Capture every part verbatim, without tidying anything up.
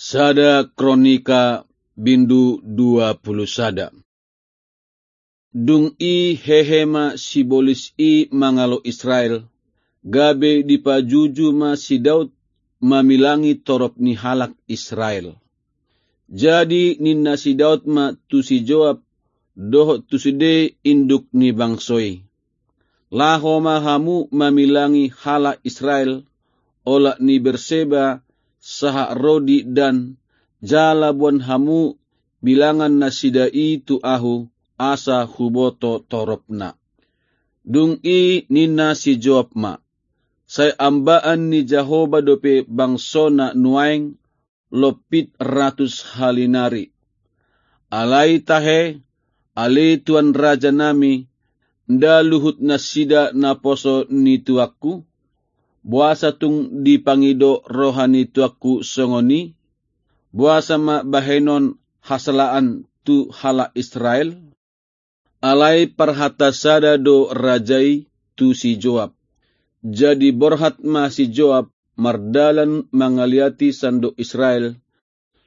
Sada Kronika bindu dua pulu sada. Dung i hehe ma sibolis i mangalo Israel, gabe dipajuju ma si Daud mamilangi torop ni halak Israel. Jadi ninna si Daud ma tu si Joab dohot tu sude induk ni bangso i: Laho ma hamu mamilangi halak Israel, olat ni Berseba sahat ro di Dan, jala boan hamu bilangan nasida i tu ahu, asa huboto toropna. Dung i ninna si Joab ma: Sai ambaan ni Jahoba dope bangsona nuaeng lompit ratus hali nari. Alai tahe, ale tuan raja nami, nda luhut nasida naposo ni tuanku? Boasa tung dipangido roha ni tuanku songon i? Boasa ma bahenon hasalaan tu halak Israel? Alai parhata sada do raja i tu si Joab. Jadi borhat ma si Joab mardalan mangaliati sandok Israel,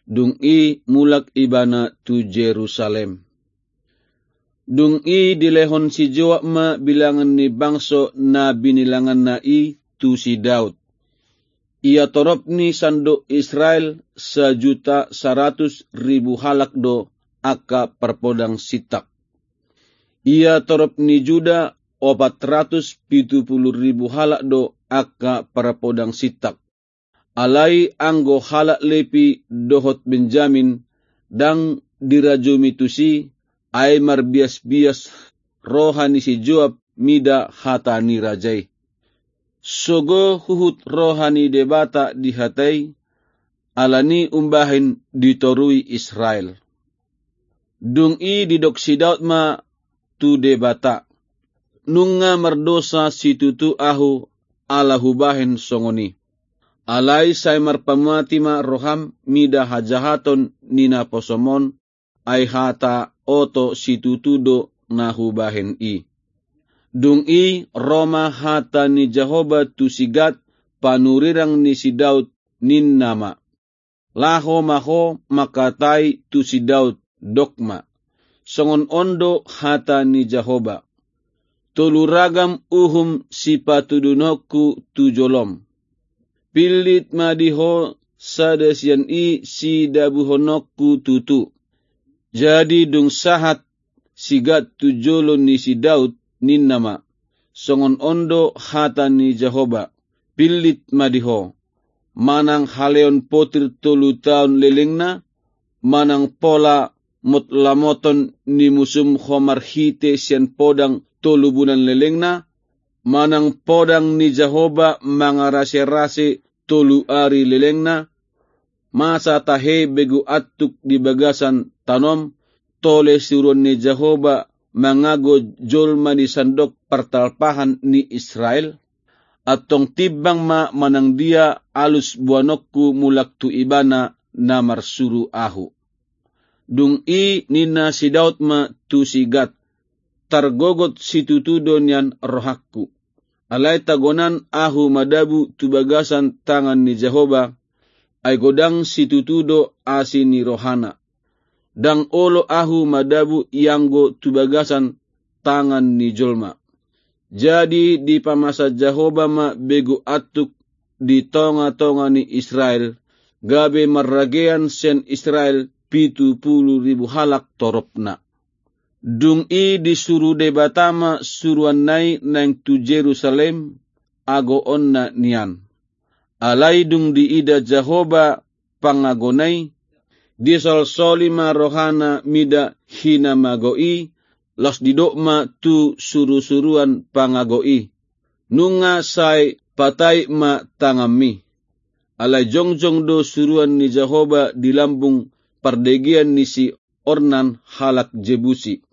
dung i mulak ibana tu Jerusalem. Dung i dilehon si Joab ma bilangan ni bangso na binilanganna i tu si Daud. Ia torop ni sandok Israel sajuta saratus ribu halak do angka parpodang sintak. Ia torop ni Juda opat ratus pitu pulu ribu halak do angka parpodang sintak. Alai anggo halak Lepi dohot Benjamin ndang dirajumi tusi, ai marbiasbias roha ni si Joab mida hata ni raja i. Sogo huhut roha ni Debata di hata i, alani umbahen ditorui Israel. Dung i didok si Daud ma tu Debata: Nunga mardosa situtu ahu ala hubahen songon i. Alai sai marpamati ma roham mida hajahaton ni naposom on, ai hata oto situtu do na hubahen i. Dung i ro ma hata ni Jahoba tu si Gad, panurirang ni si Daud, ninna ma: Laho ma ho mangkatai tu si Daud, dok ma: Songon on do hata ni Jahoba: Tolu ragam uhum sipatudunonku tu jolom. Pillit ma di ho sada sian i sidabuhononku tutu. Jadi dung sahat si Gad tu jolo ni si Daud, ninna ma: Songon on do hata ni Jahoba: Pillit ma di ho, manang haleon potir tolu taon lelengna, manang pola motlamoton ni musum ho marhite sian podang tolu bulan lelengna, manang podang ni Jahoba mangaraserase tolu ari lelengna, masa tahe begu antuk di bagasan tanom, tole suruan ni Jahoba mangago jolma di sandok partalpahan ni Israel? Antong timbang ma manang dia alus boanonku mulak tu Ibana na marsuru ahu. Dung i ninna si Daud ma tu si Gad: Targogot situtu do nian rohangku. Alai tagonan ahu madabu tu bagasan tangan ni Jahoba, ai godang situtu do asi ni rohana. Ndang olo ahu madabu ianggo tu bagasan tangan ni jolma. Jadi dipamasa Jahoba ma begu antuk di tongatonga ni Israel, gabe marragean sian Israel pitu pulu ribu halak toropna. Dung i disuru Debata ma suruanna i naeng tu Jerusalem, agoonna nian. Alai dung diida Jahoba pangagona i, disolsoli ma rohana mida hinamago i, laos didok ma tu surusuruan pangago i: Nunga sai patait ma tanganmi. Alai jongjong do suruan ni Jahoba di lambung pardegean ni si Ornan halak Jebusi.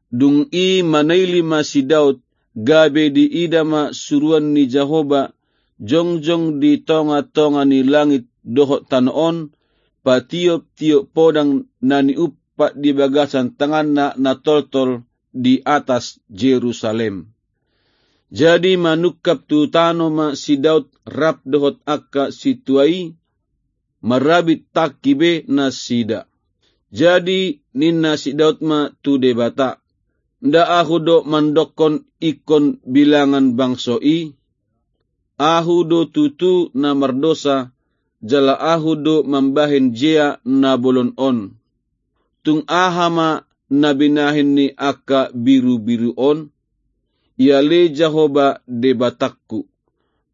Dung i manaili ma si Daud, gabe diida ma suruan ni Jahoba jongjong di tongatonga ni langit dohot tano on, patioptiop podang na niumpat di bagasan tanganna na toltol di atas Jerusalem. Jadi manungkap tu tano ma si Daud rap dohot angka sintua i, marabit tangki be nasida. Jadi ninna si Daud ma tu Debata: Nda ahu do mandokkon ingkon bilangan bangso i? Ahu do tutu na mardosa, jala ahu do mambahen jea na bolon on. Tung aha ma na binahen ni angka birubiru on? Ia ale Jahowa Debatangku,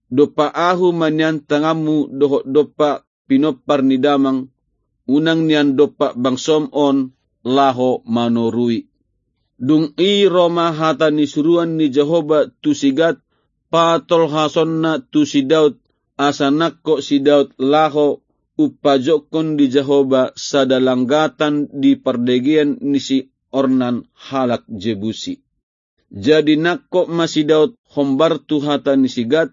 dompak ahu manian tanganmu dohot dompak pinompar ni damang, unang nian dompak bangsom on laho manorui. Dung i ro ma hata ni suruan ni Jahowa tu si Gad, patolhasonna tu si Daud, asa nangkok si Daud laho umpajokkon di Jahowa sada langgatan di pardegean ni si Ornan halak Jebusi. Jadi nangkok ma si Daud hombar tu hata ni si Gad,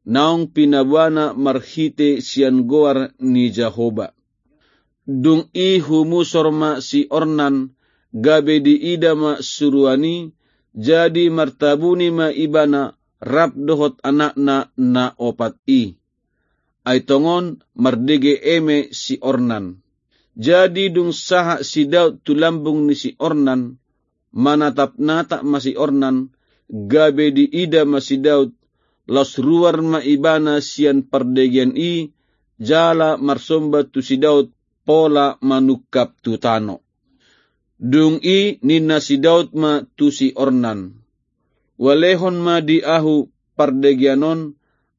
naung pinaboana marhite sian goar ni Jahowa. Dung i humusor ma si Ornan, gabe diida ma suruan i, jadi martabuni ma ibana rap dohot anakna na opat i. Ai tongon mardege eme si Ornan. Jadi dung sahat si Daud tu lambung ni si Ornan, manatapnatap ma si Ornan, gabe diida ma si Daud, laos ruar ma ibana sian pardegean i, jala marsomba tu si Daud pola manungkap tu tano. Dung i ninna si Daud ma tu si Ornan: Ualehon ma di ahu pardegean on,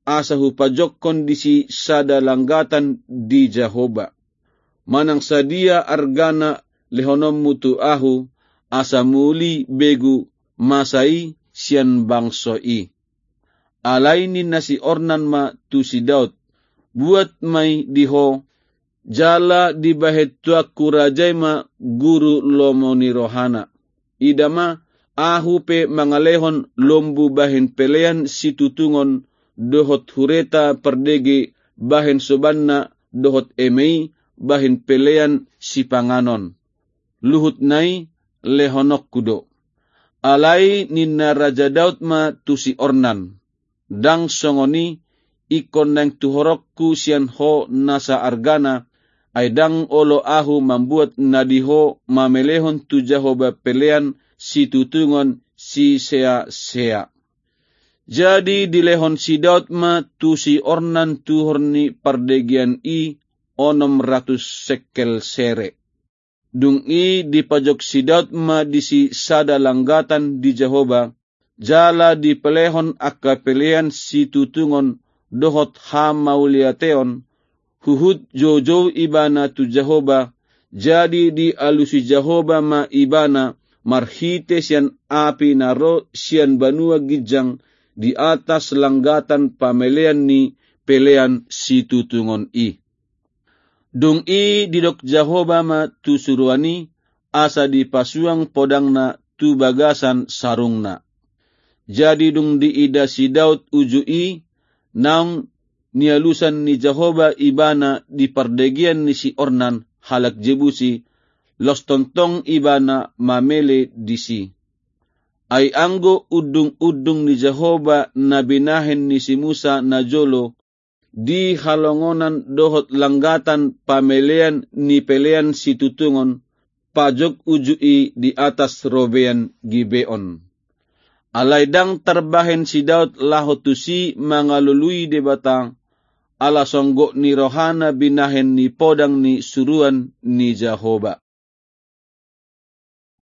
asa hupajokkon disi sada langgatan di Jahowa. Manang sadia argana lehononmu tu ahu, asa muli begu masa i sian bangso i. Alai ninna si Ornan ma tu si Daud: Buat ma i di ho, jala dibahen tuanku raja i ma guru lomo ni rohana. Ida ma, ahu pe mangalehon lombu bahen pelean situtungon dohot hureta pardege bahen sobanna dohot eme i bahen pelean sipanganon. Luhutna i lehononku do. Alai ninna Raja Daud ma tu si Ornan: Ndang songon i, ingkon naeng tuhoronku sian ho nasa argana, ai ndang olo ahu mambuat na di ho mamelehon tu Jahowa pelean situtungon siseasea. Jadi dilehon si Daud ma tu si Ornan tuhor ni pardegean i onom ratus sekel sere. Dung i dipajok si Daud ma disi sada langgatan di Jahowa, jala dipelehon angka pelean situtungon dohot hamauliateon, huhut joujou ibana tu Jahowa, jadi dialusi Jahowa ma ibana marhite sian api na ro sian banua ginjang di atas langgatan pamelean ni pelean situtungon i. Dung i didok Jahowa ma tu suruan i, asa dipasuang podangna tu bagasan sarungna. Jadi dung diida si Daud uju i, naung nialusan ni Jahowa ibana di pardegean ni si Ornan halak Jebusi, laos tongtong ibana mamele disi. Ai anggo undungundung ni Jahowa na binahen ni si Musa najolo di halongonan dohot langgatan pamelean ni pelean situtungon, pajok uju i di atas robean Gibeon. Alai ndang tarbahen si Daud laho tusi mangalului Debata, ala songgop ni rohana binahen ni podang ni suruan ni Jahowa.